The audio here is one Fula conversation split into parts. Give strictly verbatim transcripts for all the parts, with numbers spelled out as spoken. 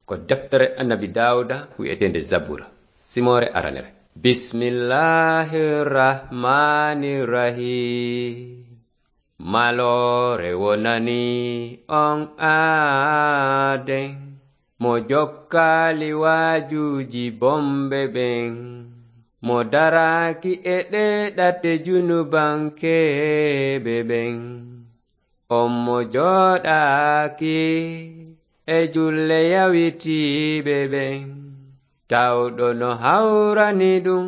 Ko deftere Annabi Daawuda wi'eteende Zabura, simoore aranere. Bismillahir Rahmanir Rahim. Maloore wonani on aaden, mo jokkaali waajuuji bonɓe ɓen, mo daraaki e ɗee ɗate junubankeeɓe ɓen. On mo jooɗaaki e julle yawitiiɓe ɓen, tawɗo no hawrani ɗum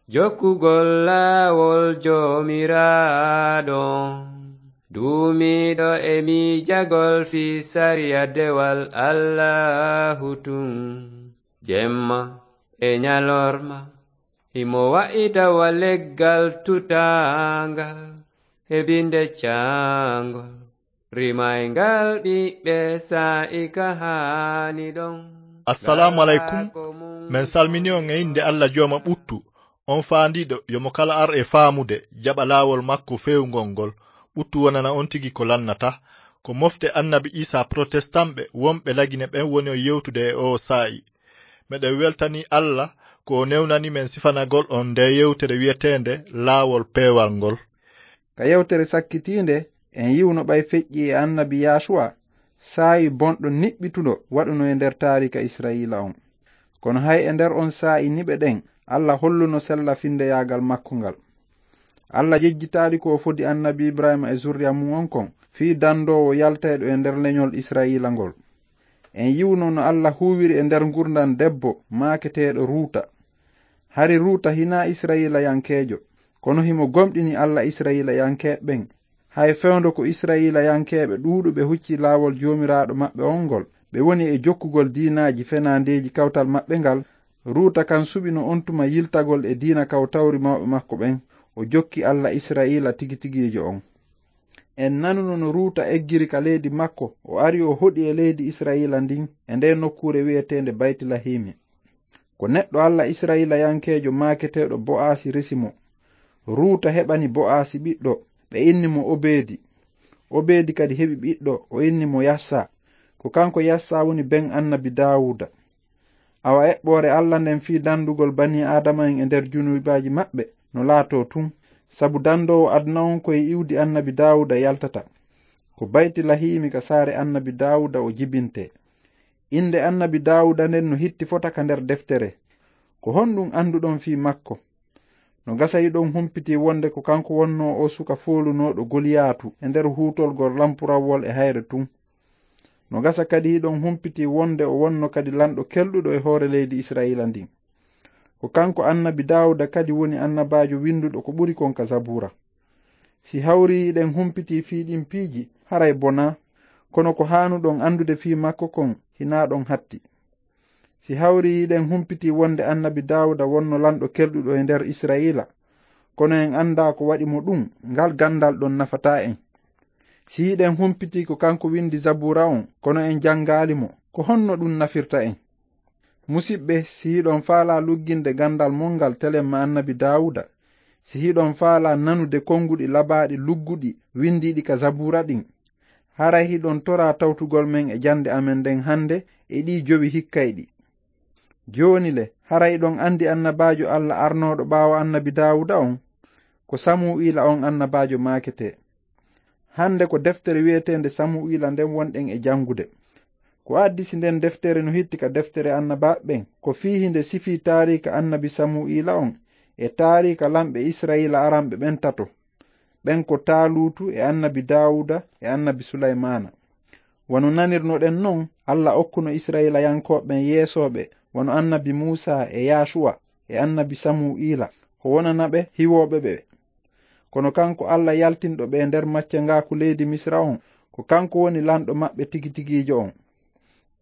jokkugol laawol Joomiraaɗo on, duumiiɗo e miijagol fii sariya dewal Allaahu tun, jemma e ɲalorma. Himo wa'ita wa leggal tutaangal, heɓinde caangol, rimayngal ɓiɓɓe saa'i ka haani ɗon. Assalaamu aleykum. Men salmini on e innde Alla Jooma ɓuttu, on faandiiɗo yo mo kala ar e faamude, jaɓa laawol makko feewngol ngol. Ɓuttu wonana on tigi ko lannata. Ko mofte Annabi Iisaa Protestant ɓe wonɓe Lagine ɓen woni on yewtude e oo saa'i. Meɗen weltanii Alla ko o newnani men sifanagol on ndee yewtere wi'eteende Laawol Peewal ngol. Ka yewtere sakkitiinde, en yi'uno ɓay feƴƴi e Annabi Yaasuwa, saa'i bonɗo niɓɓituɗo waɗuno e nder taariika Isra'iila on. Kono hay e nder on saa'i niɓe ɗen, Alla holluno sella-finndeyaagal makko ngal. Alla jejjitaali ko o fodi Annabi Ibrahiima e zurriya mun on kon, fii dandoowo yaltayɗo e nder leɲol Isra'iila ngol. En yi'uno no Alla huuwiri e nder ngurndan debbo maaketeeɗo Ruuta. Hari Ruuta hinaa Isra'iilayankeejo, kono himo gomɗini Alla Isra'iilayankeeɓe ɓen. Hay fewndo ko Isra'iilayankeeɓe ɗuuɗuɓe huccii laawol Joomiraaɗo maɓɓe on ngol, ɓe woni e jokkugol diinaaji fenaandeeji kawtal maɓɓe ngal, Ruuta kan suɓino on tuma yiltagol e diina kawtawri mawɓe makko ɓen, o jokki Alla Isra'iila tigi-tigiijo on. En nanuno no Ruuta eggiri ka leydi makko, o ari o hoɗi e leydi Isra'iila ndin, e ndee nokkuure wi'eteende Baytilahiimi. Ko neɗɗo Alla Isra'iilayankeejo maaketeeɗo Bo'aasi resi mo. Ruuta heɓani Bo'aasi ɓiɗɗo, ɓe inni mo Obeedi. Obeedi kadi heɓi ɓiɗɗo, o inni mo Yassa. Ko kanko Yassa woni ben Annabi Daawuda. Awa eɓɓoore Alla nden fii dandugol banii Aadama'en e nder junubaaji maɓɓe no laatoo tun, sabu dandoowo aduna on ko e iwdi Annabi Daawuda yaltata. Ko Baytilahiimi ka saare Annabi Daawuda o jibintee. Innde Annabi Daawuda nden no hitti fota ka nder deftere. Ko honɗun annduɗon fii makko? No gasa hiɗon humpitii wonde ko kanko wonnoo oo suka foolunooɗo Goliyaatu e nder huutolgol lampurawwol e hayre tun. No gasa kadi hiɗon humpitii wonde o wonno kadi lanɗo kelɗuɗo e hoore leydi Isra'iila ndin. Ko kanko Annabi Daawuda kadi woni annabaajo winnduɗo ko ɓuri kon ka Zabuura. Si hawri hiɗen humpitii fii ɗin piiji, haray bonaa. Kono ko haanuɗon anndude fii makko kon, hinaa ɗon hatti. Si hawri hiɗen humpitii wonde Annabi Daawuda wonno lanɗo kelɗuɗo e nder Isra'iila, kono en anndaa ko waɗi mo ɗun, ngal ganndal ɗon nafataa en. Si hiɗen humpitii ko kanko winndi Zabuura on, kono en janngaali mo, ko honno ɗun nafirta en? Musiɓɓe, si hiɗon faalaa lugginde ganndal mon ngal telemma Annabi Daawuda, si hiɗon faalaa nanude konnguɗi labaaɗi lugguɗi winndiiɗi ka Zabuura ɗin, haray hiɗon toraa tawtugol men e jannde amen nden hannde e ɗii jowi hikkayɗi. Jooni le, haray hiɗon anndi annabaajo Alla arnooɗo ɓaawo Annabi Daawuda on? Ko Samu'iila on annabaajo maaketee. Hannde ko deftere wi'eteende Samu'iila nden wonɗen e janngude. Ko addisi nden deftere no hitti ka deftere annabaaɓe ɓen, ko fii hinde sifii taariika Annabi Samu'iila on e taariika lamɓe Isra'iila aranɓe ɓen tato. Ɓen ko Taaluutu e Annabi Daawuda e Annabi Sulaymaana. Wano nanirnoɗen non, Alla okkuno Isra'iilayankooɓe ɓen yeesooɓe, wano Annabi Muusaa e Yaasuwa e Annabi Samu'iila, ko wonana ɓe hiwooɓe ɓe. Kono kanko Alla yaltinɗo ɓe nder maccangaaku leydi Misira on, ko kanko woni lanɗo maɓɓe tigi-tigiijo on.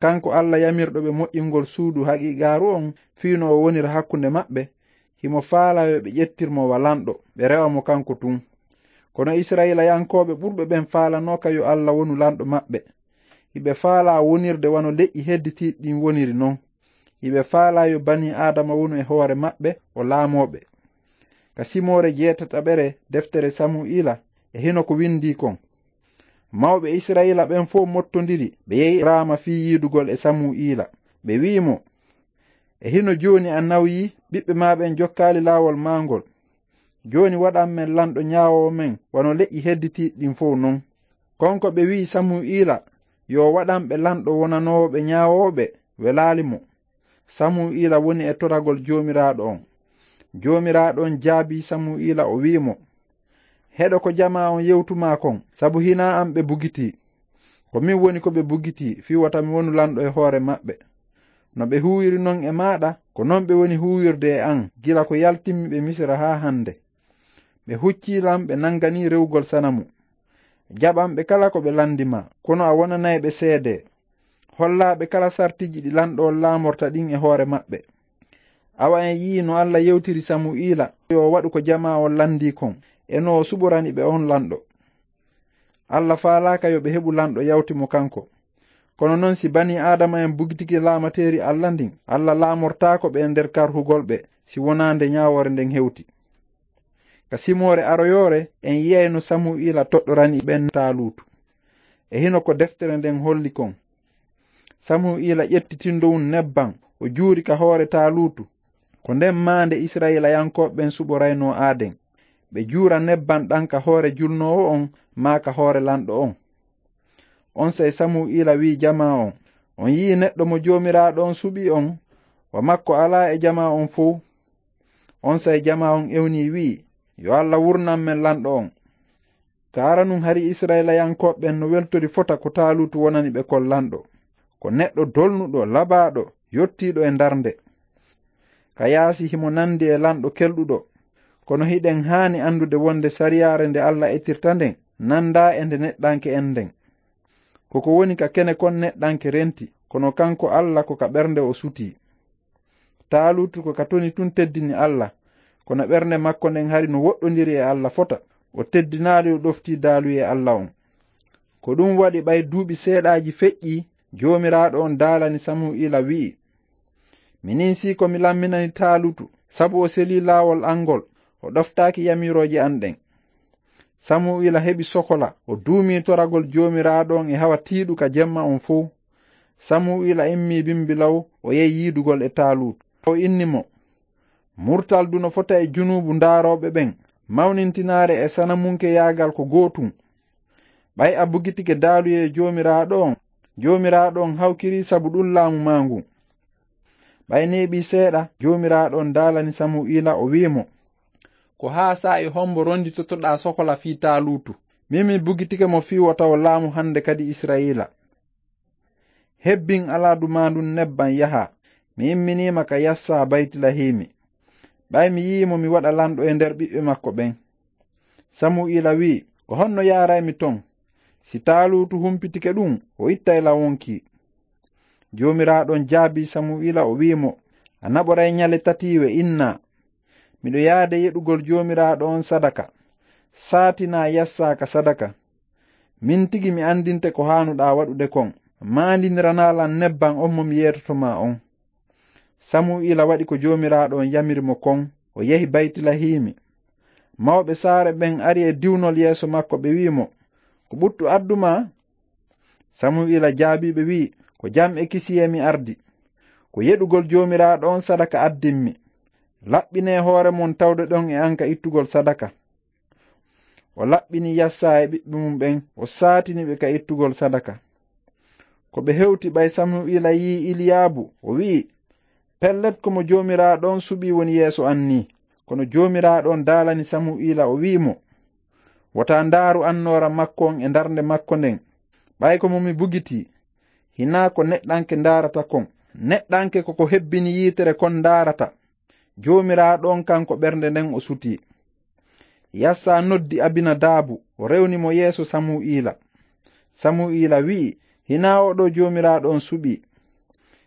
Kanko Alla yamirɗo ɓe moƴƴingol suudu haqiiqaaru on, fii no o wonira hakkunde maɓɓe, himo faalaa yo ɓe ƴettir mo wa lanɗo, ɓe rewa mo kanko tun. Kono Isra'iilayankooɓe ɓurɓe ɓen faalanooka yo Alla wonu lanɗo maɓɓe. Hiɓe faalaa wonirde wano leƴƴi hedditiiɗi ɗin woniri non. Hiɓe faalaa yo banii Aadama wonu e hoore maɓɓe, o laamoo ɓe. Ka simoore jeetataɓere deftere Samu'iila, e hino ko windii kon. Mawɓe Isra'iila ɓen fow mottondiri, ɓe yehi Raama fii yiidugol e Samu'iila. Ɓe wi'i mo, "E hino jooni a nawyii, ɓiɓɓe maa ɓen jokkaali laawol maa ngol. Jooni waɗan men lanɗo ñaawoowo men wano leƴƴi hedditiiɗi ɗin fow non." Kon ko ɓe wi'i Samu'iila yo waɗan ɓe lanɗo wonanoowo ɓe ñaawoowo ɓe, welaali mo. Samu'iila woni e toragol Joomiraaɗo on. Joomiraaɗo on jaabii Samu'iila, o wi'i mo, "Heɗo ko jamaa on yewtu maa kon, sabu hinaa an ɓe bugitii. Ko min woni ko ɓe bugitii, fii wota mi wonu lanɗo e hoore maɓɓe. No ɓe huuwiri non e maaɗa, ko non ɓe woni huuwirde e an, gila ko yaltinmi ɓe Misira haa hande. Ɓe huccii lan, ɓe nanganii rewugol sanamu. Jaɓan ɓe kala ko ɓe landi maa, kono a wonanay ɓe seedee. Hollaa ɓe kala sartiiji ɗi lanɗo on laamorta ɗin e hoore maɓɓe." Awa en yi'ii no Alla yewtiri Samu'iila yo waɗu ko jamaa on landii kon, e no o suɓorani ɓe on lanɗo. Alla faalaaka yo ɓe heɓu lanɗo yawti mo kanko. Kono non, si banii Aadama en bugitike laamateeri Alla ndin, Alla laamortaako ɓe e nder karhugol ɓe, si wonaa nde ñaawoore nden hewti. Ka simoore aroyoore, en yi'ay no Samu'iila toɗɗorani ɓen Taaluutu. E hino ko deftere nden holli kon. Samu'iila ƴetti tindowun nebban, o juuri ka hoore Taaluutu. Ko nden maande Isra'iilayankooɓe ɓen suɓoraynoo aaden. Ɓe juura nebban ɗan ka hoore julnoowo on, maa ka hoore lanɗo on. Onsay Samu'iila wi'i jamaa on, "On yi'ii neɗɗo mo Joomiraaɗo on suɓii on? Wa makko alaa e jamaa on fow." Onsay jamaa on ewnii wi'i, "Yo Alla wurnan men lanɗo on." Ka aranun hari Isra'iilayankooɓe ɓen no weltori fota ko Taaluutu wonani ɓe kon lanɗo. Ko neɗɗo dolnuɗo, labaaɗo, yottiiɗo e ndarnde. Ka yaasi himo nandi e lanɗo kelɗuɗo. Kono hiɗen haani andude wonde sariyaare nde Alla ettirta nden nandaa e nde neɗɗanke en nden. Ko ko woni ka kene kon neɗɗanke renti, kono kanko Alla ko ka ɓernde o sutii. Taaluutu ko ka toni tun teddini Alla, kono ɓernde makko nden hari no woɗɗondiri e Alla fota, o teddinaali o ɗoftii daaluyee Alla on. Ko ɗun waɗi ɓay duuɓi seeɗaaji feƴƴii, Joomiraaɗo on daalani Samu'iila wi'i, "Minin sii ko mi lamminani Taaluutu, sabu o selii laawol an ngol, o ɗoftaaki yamiirooje an ɗen." Samu'iila heɓi sokola, o duumii toragol Joomiraaɗo on e hawa tiiɗu ka jemma on fow. Samu'iila immii bimbi law, o yehi yiidugol e Taaluutu. O inni mo, "Murtal du no fota e junuubu ndaarooɓe ɓen, mawnintinaare e sanamunkeyaagal ko gootun. Ɓay a bugitike daaluyee Joomiraaɗo on, Joomiraaɗo on hawkirii sabu ɗun laamu maa ngun." Ɓay neeɓii seeɗa, Joomiraaɗo on daalani Samu'iila, o wi'i mo, "Ko haa saa'i hombo ronditotoɗaa sokola fii Taaluutu? Min mi bugitike mo fii wota o laamu hande kadi Isra'iila. Hebbin alaadu maa ndun nebban yahaa. Mi imminii ma ka Yassa Baytilahiimi. Ɓay mi yi'ii mo, mi waɗa lanɗo e nder ɓiɓɓe makko ɓen." Samu'iila wi'i, "Ko honno yaaraymi ton? Si Taaluutu humpitike ɗun, o ittay lan wonkii." Joomiraaɗo on jaabii Samu'iila, o wi'i mo, "A naɓoray ñale tatiiwe innaa. Miɗo yaade yeɗugol Joomiraaɗo on sadaka. Saatinaa Yassa ka sadaka. Min tigi mi andinte ko haanuɗaa waɗude kon. Maandiniranaa lan nebban on mo mi yeetoto maa on." Samu'iila waɗi ko Joomiraaɗo on yamiri mo kon, o yehi Baytilahiimi. Mawɓe saare ɓen ari e diwnol yeeso makko, ɓe wi'i mo, "Ko ɓuttu addu maa?" Samu'iila jaabii ɓe wi'i, "Ko jam e kisiyee mi ardi. Ko yeɗugol Joomiraaɗo on sadaka addimmi. Laɓɓinee hoore mon tawde ɗon e an ka ittugol sadaka." O laɓɓini Yassa e ɓiɓɓe mum ɓen, o saatini ɓe ka ittugol sadaka. Ko ɓe hewti, ɓay Samu'iila yi'i Iliyaabu, o wi'i, "Pellet, ko mo Joomiraaɗo on suɓii woni yeeso an nii." Kono Joomiraaɗo on daalani Samu'iila, o wi'i mo, "Wota ndaaru annoora makko on e ndarnde makko nden, ɓay ko mo mi bugitii. Hinaa ko neɗɗanke ndaarata kon. Neɗɗanke ko ko hebbini yiitere kon ndaarata. Joomiraaɗo on, kanko ɓernde nden o sutii." Yassa noddi Abinadaabu, o rewni mo yeeso Samu'iila. Samu'iila wi'i, "Hinaa oo ɗoo Joomiraaɗo on suɓii."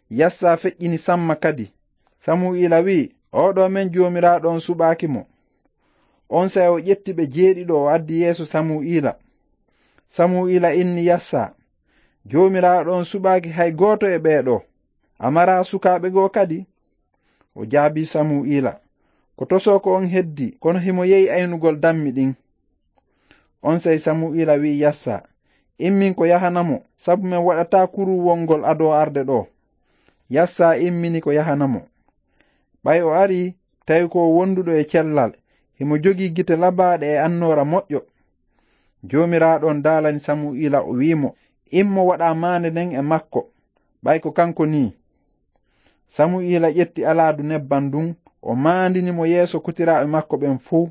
Yassa feƴƴini Samma kadi. Samu'iila wi'i, "Oo ɗoo men Joomiraaɗo on suɓaaki mo." Onsay o ƴetti ɓe jeeɗiɗo, o addi yeeso Samu'iila. Samu'iila inni Yassa, "Joomiraaɗo on suɓaaki hay gooto e ɓee ɗoo. A maraa sukaaɓe goo kadi?" O jaabii Samu'iila, "Ko tosoo ko on heddii, kono himo yehi aynugol dammi ɗin." Onsay Samu'iila wi'i Yassa, Immin ko yahana mo, sabu men waɗataa kuruwol ngol adoo arde ɗoo. Yassa immini ko yahana mo. Ɓay o arii, tawi ko o wonduɗo e cellal, himo jogii gite labaaɗe e annoora moƴƴo. Joomiraaɗo on daalani Samu'iila, o wi'i mo, "Immo waɗaa maande nden e makko, ɓay ko kanko nii." Samu'iila ƴetti alaadu nebban ndun, o maandini mo yeeso kotiraaɓe makko ɓen fow.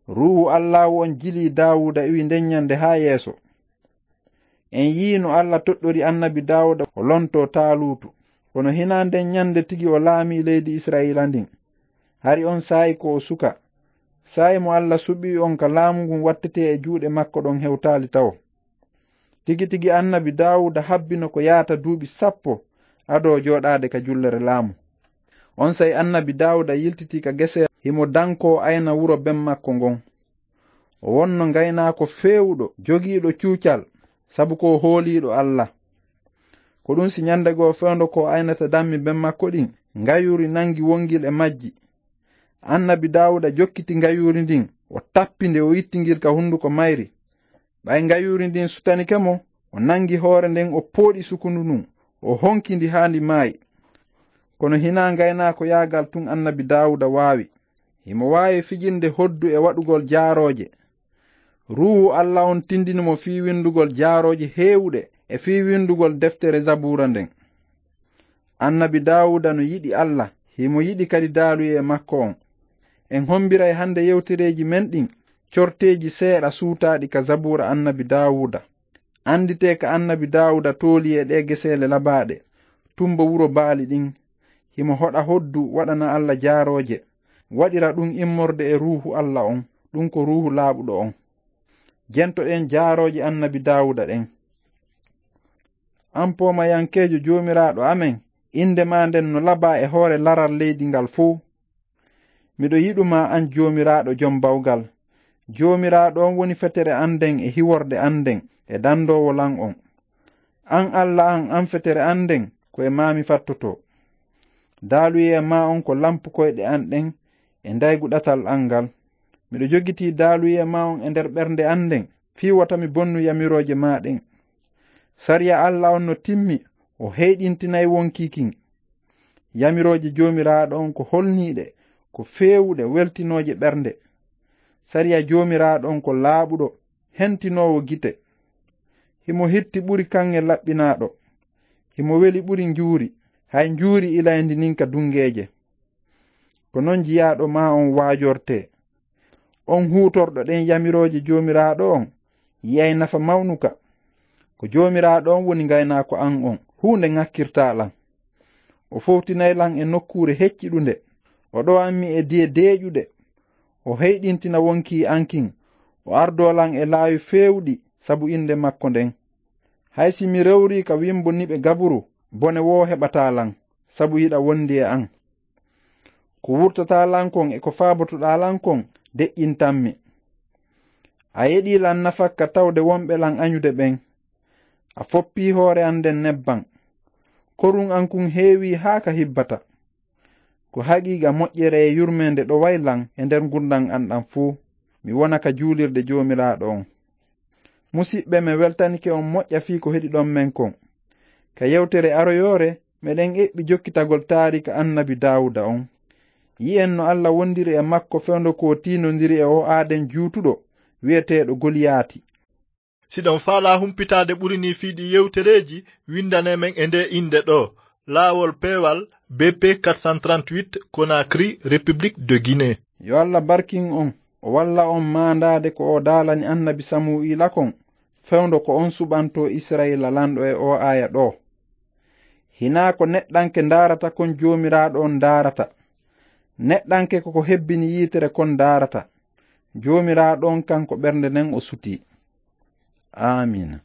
Ruuhu Allaahu on jilii Daawuda iwi nden ɲande haa yeeso. En yi'i no Alla toɗɗori annabi Daawuda o lontoo Taaluutu. Kono hinaa nden ɲande tigi o laamii leydi Isra'iila ndin. Hari on saa'i ko o suka. Saa'i mo Alla suɓii on ka laamu ngun wattetee e juuɗe makko ɗon hewtaali tawo. Tigi tigi annabi Daawuda habbino ko yaata duuɓi sappo adoo jooɗaade ka jullere laamu. On saa'i annabi Daawuda yiltitii ka gese himo dankoo ayna wuro ben makko ngon. O wonno ngaynaako feewuɗo, jogiiɗo cuucal, sabu ko o hooliiɗo Alla. Ko ɗun si ɲande goo fewndo ko o aynata dammi ben makko ɗin, ngayuuri nangi wongil e majji. Annabi Daawuda jokkiti ngayuuri ndin, o tappi nde, o itti ngil ka hunduko mayri. Ɓay ngayuuri ndin sutanike mo, o nangi hoore nden, o pooɗi sukundu ndun, o honki ndi haa ndi maayi. Kono hinaa ngaynaako yaagal tun annabi Daawuda waawi. Himo waawi fijinde hoddu e waɗugol jaarooje. Ruuhu Alla on tindini mo fii windugol jaarooje heewuɗe e fii windugol deftere Zabuura nden. Annabi Daawuda no yiɗi Alla, himo yiɗi kadi daaluyee makko on. En hombiray hande yewtereeji men ɗin corteeji seeɗa suutaaɗi ka Zabuura annabi Daawuda. Anditee ka annabi Daawuda tooli e ɗee geseele labaaɗe, tumbo wuro baali ɗin. Himo hoɗa hoddu waɗana Alla jaarooje, waɗira ɗun immorde e Ruuhu Alla on, ɗun ko Ruuhu laaɓuɗo on. Jentoɗen jaarooje annabi Daawuda ɗen. An poomayankeejo Joomiraaɗo amen, innde maa nden no labaa e hoore laral leydi ngal fow. Miɗo yiɗu maa an Joomiraaɗo jom bawgal. Joomiraaɗo on woni fetere an nden e hiworde an nden e dandoowo lan on. An Alla an, an fetere an nden, ko e maa mi fattotoo. Daaluyee maa on ko lampu koyɗe an ɗen e ndaygu ɗatal an ngal. Miɗo jogitii daaluyee maa on e nder ɓernde an nden, fii wota mi bonnu yamirooje maa ɗen. Sariya Alla on no timmi, o heyɗintinay wonkii kin. Yamirooje Joomiraaɗo on ko holniiɗe, ko feewuɗe, weltinooje ɓernde. Sariya Joomiraaɗo on ko laaɓuɗo, hentinoowo gite. Himo hitti ɓuri kaŋŋe laɓɓinaaɗo. Himo weli ɓuri njuuri, hay njuuri ilayndi nin ka dunngeeje. Ko non jiyaaɗo maa on waajortee. On huutorɗo ɗen yamirooje Joomiraaɗo on, yi'ay nafa mawnuka. Ko Joomiraaɗo on woni ngaynaako an on, huunde ŋakkirtaa lan. O fowtinay lan e nokkuure hecciɗunde. O ɗowan mi e diye deeƴuɗe. O heyɗintina wonkii an kin. O ardoo lan e laawi feewuɗi sabu innde makko nden. Hay si mi rewrii ka wimbo niɓe gaburu, bone woo heɓataa lan, sabu hiɗa wondi e an. Ko wurtataa lan kon e ko faabotoɗaa lan kon, deƴƴintan mi. A yeɗii lan nafakka tawde wonɓe lan aɲude ɓen. A foppii hoore an nden nebban. Korun an kun heewii haa ka hibbata. Ko haqiiqa moƴƴere e yurmeende ɗoway lan e nder ngurndan an ɗan fuu. Mi wona ka juulirde Joomiraaɗo on. Musiɓɓe, mi weltanike on moƴƴa fii ko heɗiɗon men kon. Ka yewtere aroyoore, meɗen eɓɓi jokkitagol taarika annabi Daawuda on. Yi'en no Alla wondiri e makko fewndo ko o tiinondiri e oo aaden juutuɗo wi'eteeɗo Goliyaati. Si ɗon faalaa humpitaade ɓuri nii fii ɗii yewtereeji, winndane men e ndee innde ɗoo, Laawol Peewal, B P quatre cent trente-huit, Conakry, République de Guinée. Yo Alla barkin on, o walla on maandaade ko o daalani annabi Samu'iila kon, fewndo ko on suɓantoo Isra'iila lanɗo e oo aaya ɗoo. Hinaa ko neɗɗanke ndaarata kon Joomiraaɗo on ndaarata. Neɗɗanke ko ko hebbini yiitere kon ndaarata. Joomiraaɗo on kanko ɓernde nden o sutii. Aamiina.